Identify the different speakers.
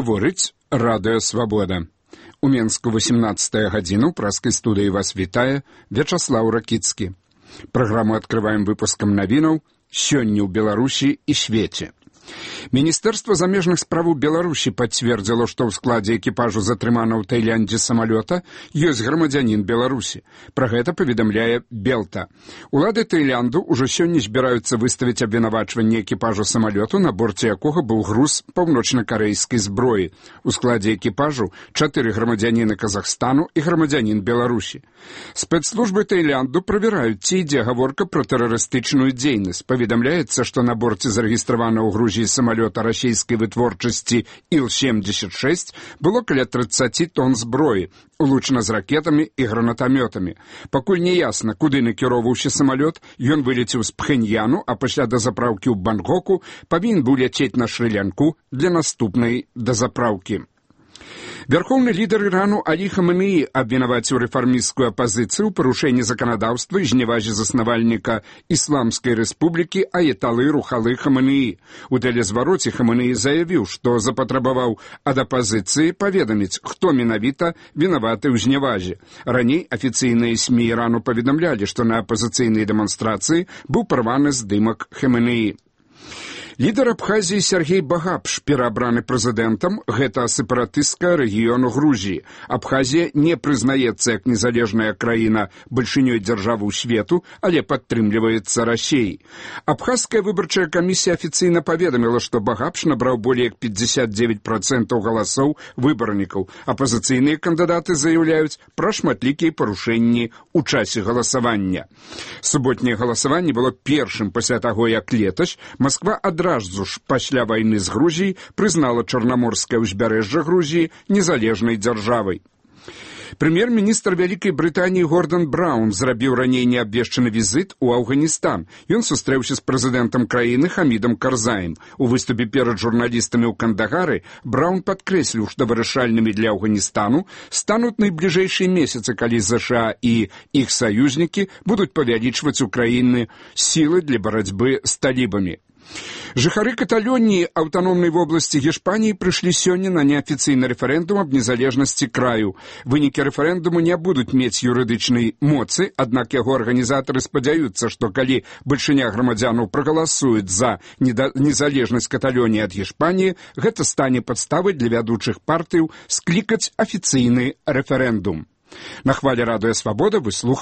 Speaker 1: Гаворыць Радыё Свабода. У Менску 18 гадзіну праскай студыі вас вітае Вячаслаў Ракіцкі. Праграму адкрываем выпускам навінаў «Сёння ў Беларусі і свеце». Міністэрства замежных справаў Беларусі пацвердзіла, што ў складзе экіпажу затрыманага ў Таіландзе самалёта ёсць грамадзянін Беларусі. Пра гэта паведамляе Белта. Улады Таіланду ўжо сёння збіраюцца выставіць абвінавачванне экіпажу самалёту, на борце якога быў груз паўночна-карэйскай зброі. У складзе экіпажу 4 грамадзяніны Казахстану і грамадзянін Беларусі. Спецслужбы Таіланду правяраюць, ці ідзе гаворка пра тэрарыстычную дзейнасць. Паведамляецца, што на борце зарэгістравана ў Грузіі самалёта расійскай вытворчасці Іл-76 было каля 30 тонн зброі, улучана з ракетамі і гранатамётамі. Пакуль не ясна, куды накіроўваўся самалёт, ён вылецеў з Пхеньяну, а пасля дазапраўкі ў Бангкоку павінен быў ляцець на Шры-Лянку для наступнай дазапраўкі. Вярхоўны лідар Ірану Алі Хаменеі абвінаваціў рэфармісцкую апазіцыю ў парушэнні заканадаўства і зневазе заснавальніка Ісламскай рэспублікі Аяталы Рухалы Хаменеі. У тэлезвароце Хаменеі заявіў, што запатрабаваў ад апазіцыі паведаміць, хто менавіта вінаваты ў зневазе. Раней афіцыйныя СМІ Ірану паведамлялі, што на апазіцыйнай дэманстрацыі быў парваны здымак Хаменеі. Лідар Абхазіі Сергей Багапш, пераабраны прэзідэнтам, гэта сепаратыстка рэгіёну Грузіі. Абхазія не прызнаецца як незалежная краіна бальшынёй дзяржавы ў свету, але падтрымліваецца Расіяй. Абхазская выбарчая камісія афіцыйна паведаміла, што Багапш набраў болей як 59% галасоў выбарнікаў. Апазіцыйныя кандыдаты заяўляюць пра шматлікія парушэнні ў часе галасавання. Суботняе галасаванне было першым пасля таго, як летась Масква адразу ж пасля вайны з Грузіяй прызнала Чарнаморскае ўзбярэжжа Грузіі незалежнай дзяржавай. Прэм'ер-міністр Вялікай Брытаніі Гордан Браўн зрабіў раней неабвешчаны візіт у Афганістан. Ён сустрэўся з прэзідэнтам краіны Хамідам Карзаем. У выступе перад журналістамі ў Кандагары Браўн падкрэсліў, што вырашальнымі для Афганістану стануць найбліжэйшыя месяцы, калі ЗША і іх саюзнікі будуць павялічваць у краіны сілы для барацьбы з талібамі. Жыхары Каталоніі аўтаномнай вобласці Гішпаніі прыйшлі сёння на неафіцыйны рэферэндум аб незалежнасці краю. Вынікі рэферэндуму не будуць мець юрыдычнай моцы, аднак яго арганізатары спадзяюцца, што калі бальшыня грамадзянаў прагаласуюць за незалежнасць Каталоніі ад Гішпаніі, гэта стане падставай для вядучых партыяў склікаць афіцыйны рэферэндум. На хвалі Радыё Свабода вы слухаеце